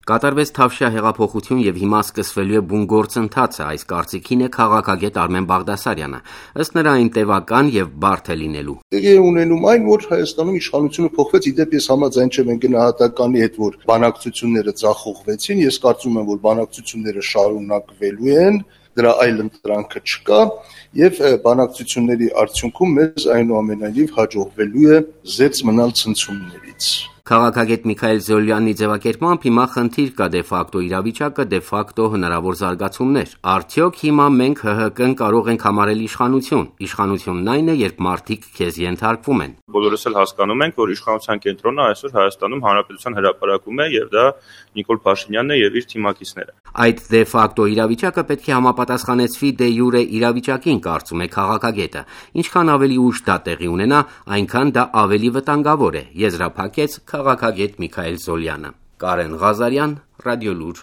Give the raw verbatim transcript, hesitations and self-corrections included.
Կատարվեց Թավշյա հեղափոխություն եւ հիմա սկսվելու է բուն գործընթացը, այս կարծիքին է քաղաքագետ Արմեն Բաղդասարյանը, ըստ նրա այն տևական եւ բարդ է լինելու։ Տեղի է ունենում այն, որ Հայաստանում իշխանությունը փոխվեց, իդեպ ես համաձայն չեմ այն գնահատականի հետ, որ բանակցությունները ձախողվեցին, ես կարծում եմ, որ բանակցությունները շարունակվելու են, դրա այլ ընտրանքը չկա եւ բանակցությունների արդյունքում մեզ այնուամենայնիվ հաջողվելու է զերծ մնալ ցնցումներից։ Քաղաքագետ Միքայել Զոհլյանի ձևակերպմամբ հիմա խնդիր կա դե ֆակտո իրավիճակը, դե ֆակտո հնարավոր զարգացումներ։ Արդյոք հիմա մենք ՀՀԿ-ն կարող ենք համարել իշխանություն։ Իշխանությունն այն է, երբ մարդիկ քեզ ենթարկվում են։ Բոլորս էլ հասկանում ենք, որ իշխանության կենտրոնը այսօր Հայաստանում Հանրապետության հրապարակում է եւ դա Նիկոլ Փաշինյանն է եւ իր թիմակիցները։ Այդ դե ֆակտո իրավիճակը պետք է համապատասխանեցվի դե յուրե իրավիճակին, կարծում է քաղաքագետը։ Ինչքան ավելի ուշ դա տեղի ունենա, այնքան դա ավելի վտանգավոր է, եզրափակեց քաղաքագետ Միքայել Զոհլյանը։ Կարեն Ղազարյան, Ռադիոլուր։